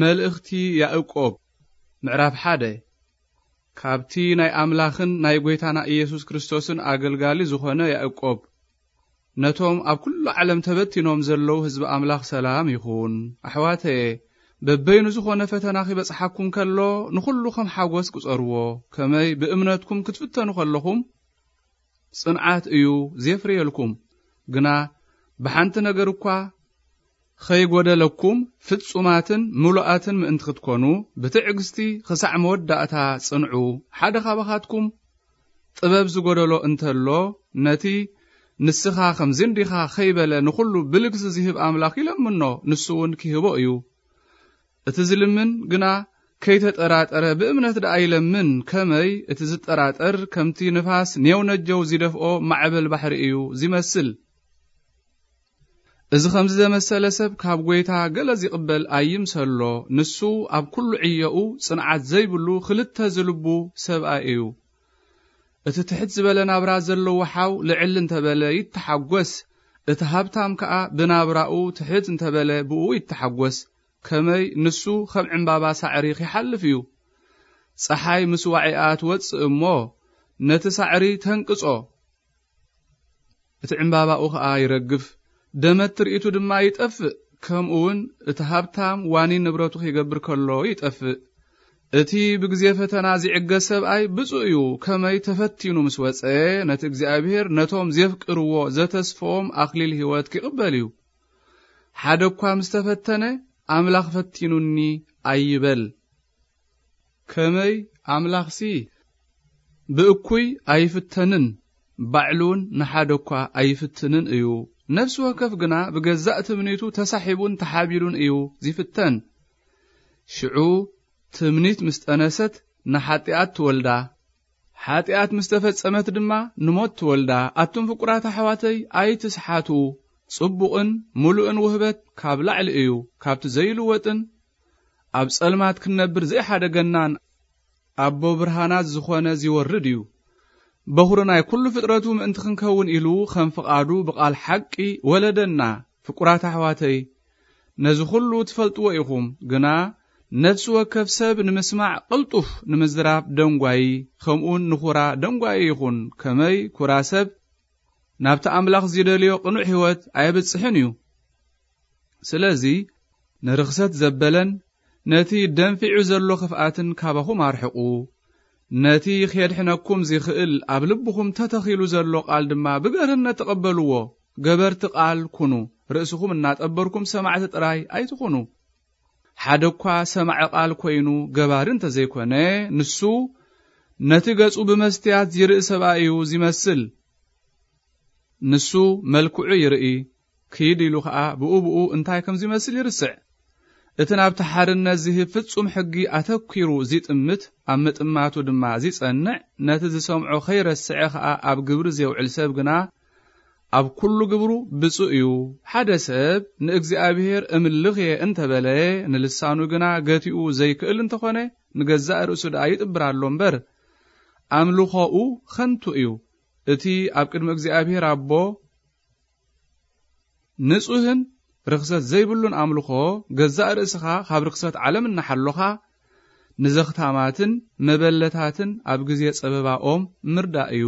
መልእኽቲ ያዕቆብ ምዕራፍ ሓደ። ካብቲ ናይ ኣምላኽን ናይ ጐይታና ኢየሱስ ክርስቶስን ኣገልጋሊ ዝኾነ ያዕቆብ፣ ነቶም ኣብ ኩሉ ዓለም ተበቲኖም ዘለዉ ህዝቢ ኣምላኽ ሰላም ይኹን። ኣሕዋተየ፣ በበይኑ ዝኾነ ፈተና ኺበጽሓኩም ከሎ፣ ንኹሉ ከም ሓጎስ ቁጸርዎ፣ ከመይ ብእምነትኩም ክትፍተኑ ከለኹም፣ ጽንዓት እዩ ዜፍርየልኩም። ግና ብሓንቲ ነገር እኳ ኸይጐደለኩም ፍጹማትን ምሉኣትን ምእንቲ ክትኮኑ፣ ብትዕግስቲ ኽሳዕ መወዳእታ ጽንዑ። ሓደ ኻባኻትኩም ጥበብ ዝጐደሎ እንተሎ፣ ነቲ ንስኻ ኸምዚ እንዲኻ ኸይበለ ንኹሉ ብልግሲ ዚህብ ኣምላኽ ይለምኖ፣ ንሱ እውን ኪህቦ እዩ። እቲ ዝልምን ግና ከይተጠራጠረ ብእምነት ደኣ ይለምን፣ ከመይ እቲ ዝጠራጠር ከምቲ ንፋስ ኔው ነጀው ዚደፍኦ ማዕበል ባሕሪ እዩ ዚመስል። እዚ ኸምዚ ዘመሰለ ሰብ ካብ ጐይታ ገለ ዚቕበል ኣይምሰሎ። ንሱ ኣብ ኩሉ ዕዮኡ ጽንዓት ዘይብሉ ኽልተ ዝልቡ ሰብኣይ እዩ። እቲ ትሕት ዝበለ ናብራ ዘለዎ ሓው ልዕል እንተ በለ ይተሓጐስ፣ እቲ ሃብታም ከኣ ብናብራኡ ትሕት እንተ በለ ብእኡ ይተሓጐስ። ከመይ ንሱ ኸም ዕምባባ ሳዕሪ ኺሓልፍ እዩ። ጸሓይ ምስ ዋዒኣ ትወጽእ እሞ፣ ነቲ ሳዕሪ ተንቅጾ። እቲ ዕምባባኡ ኸኣ ይረግፍ፣ ደመት ትርኢቱ ድማ ይጠፍእ። ከምኡ እውን እቲ ሃብታም ዋኒን ንብረቱ ኺገብር ከሎ ይጠፍእ። እቲ ብግዜ ፈተና ዚዕገስ ሰብኣይ ብፁእ እዩ። ከመይ ተፈቲኑ ምስ ወጸ፣ ነቲ እግዚኣብሔር ነቶም ዜፍቅርዎ ዘተስፍዎም ኣኽሊል ህይወት ኪቕበል እዩ። ሓደ እኳ ምስ ተፈተነ፣ ኣምላኽ ፈቲኑኒ ኣይበል። ከመይ ኣምላኽሲ ብእኩይ ኣይፍተንን፣ ባዕሉውን ንሓደ እኳ ኣይፍትንን እዩ። ነፍሲ ወከፍ ግና ብገዛእ ትምኒቱ ተሳሒቡን ተሓቢሉን እዩ ዚፍተን። ሽዑ ትምኒት ምስ ጠነሰት ንሓጢኣት ትወልዳ፣ ሓጢኣት ምስ ተፈጸመት ድማ ንሞት ትወልዳ። ኣቱም ፍቁራት ኣሕዋተይ ኣይትስሓቱ። ጽቡቕን ምሉእን ውህበት ካብ ላዕሊ እዩ፣ ካብቲ ዘይልወጥን ኣብ ጸልማት ክንነብር ዘይሓደገናን ኣቦ ብርሃናት ዝኾነ ዚወርድ እዩ። በኹሪ ናይ ኩሉ ፍጥረቱ ምእንቲ ክንከውን ኢሉ ኸም ፍቓዱ ብቓል ሓቂ ወለደና። ፍቁራት ኣሕዋተይ፣ ነዚ ኹሉ ትፈልጥዎ ኢኹም። ግና ነፍሲ ወከፍ ሰብ ንምስማዕ ቅልጡፍ፣ ንምዝራብ ደንጓዪ፣ ኸምኡውን ንኹራ ደንጓዪ ይኹን። ከመይ ኩራ ሰብ ናብቲ ኣምላኽ ዚደልዮ ቅኑዕ ህይወት ኣየብጽሕን እዩ። ስለዚ ንርኽሰት ዘበለን ነቲ ደንፊዑ ዘሎ ኽፍኣትን ካባኹም ኣርሕቑ። ነቲ ኼድሕነኩም ዚኽእል ኣብ ልብኹም ተተኺሉ ዘሎ ቓል ድማ ብገርህነት ተቐበልዎ። ገበርቲ ቃል ኩኑ፣ ርእስኹም እናጠበርኩም ሰማዕቲ ጥራይ ኣይትኹኑ። ሓደ እኳ ሰማዒ ቃል ኮይኑ ገባሪ እንተ ዘይኮነ፣ ንሱ ነቲ ገጹ ብመስትያት ዚርኢ ሰብኣይ እዩ ዚመስል። ንሱ መልክዑ ይርኢ፣ ክይድ ኢሉ ኸኣ ብኡ ብኡ እንታይ ከም ዚመስል ይርስዕ። እቲ ናብቲ ሓርነት ዚህብ ፍጹም ሕጊ ኣተኲሩ ዚጥምት፣ ኣብ ምጥማቱ ድማ ዚጸንዕ፣ ነቲ ዝሰምዖ ኸይረስዐ ኸኣ ኣብ ግብሪ ዜውዕል ሰብ ግና፣ ኣብ ኩሉ ግብሩ ብፁእ እዩ። ሓደ ሰብ ንእግዚኣብሔር እምልኽ እየ እንተ በለ፣ ንልሳኑ ግና ገቲኡ ዘይክእል እንተኾነ፣ ንገዛእ ርእሱ ደኣ ይጥብር ኣሎ እምበር፣ ኣምልኾኡ ኸንቱ እዩ። እቲ ኣብ ቅድሚ እግዚኣብሔር ኣቦ ንጹህን ርኽሰት ዘይብሉን ኣምልኾ፣ ገዛእ ርእስኻ ካብ ርኽሰት ዓለም እናሓሎኻ፣ ንዘኽታማትን መበለታትን ኣብ ግዜ ጸበባኦም ምርዳእ እዩ።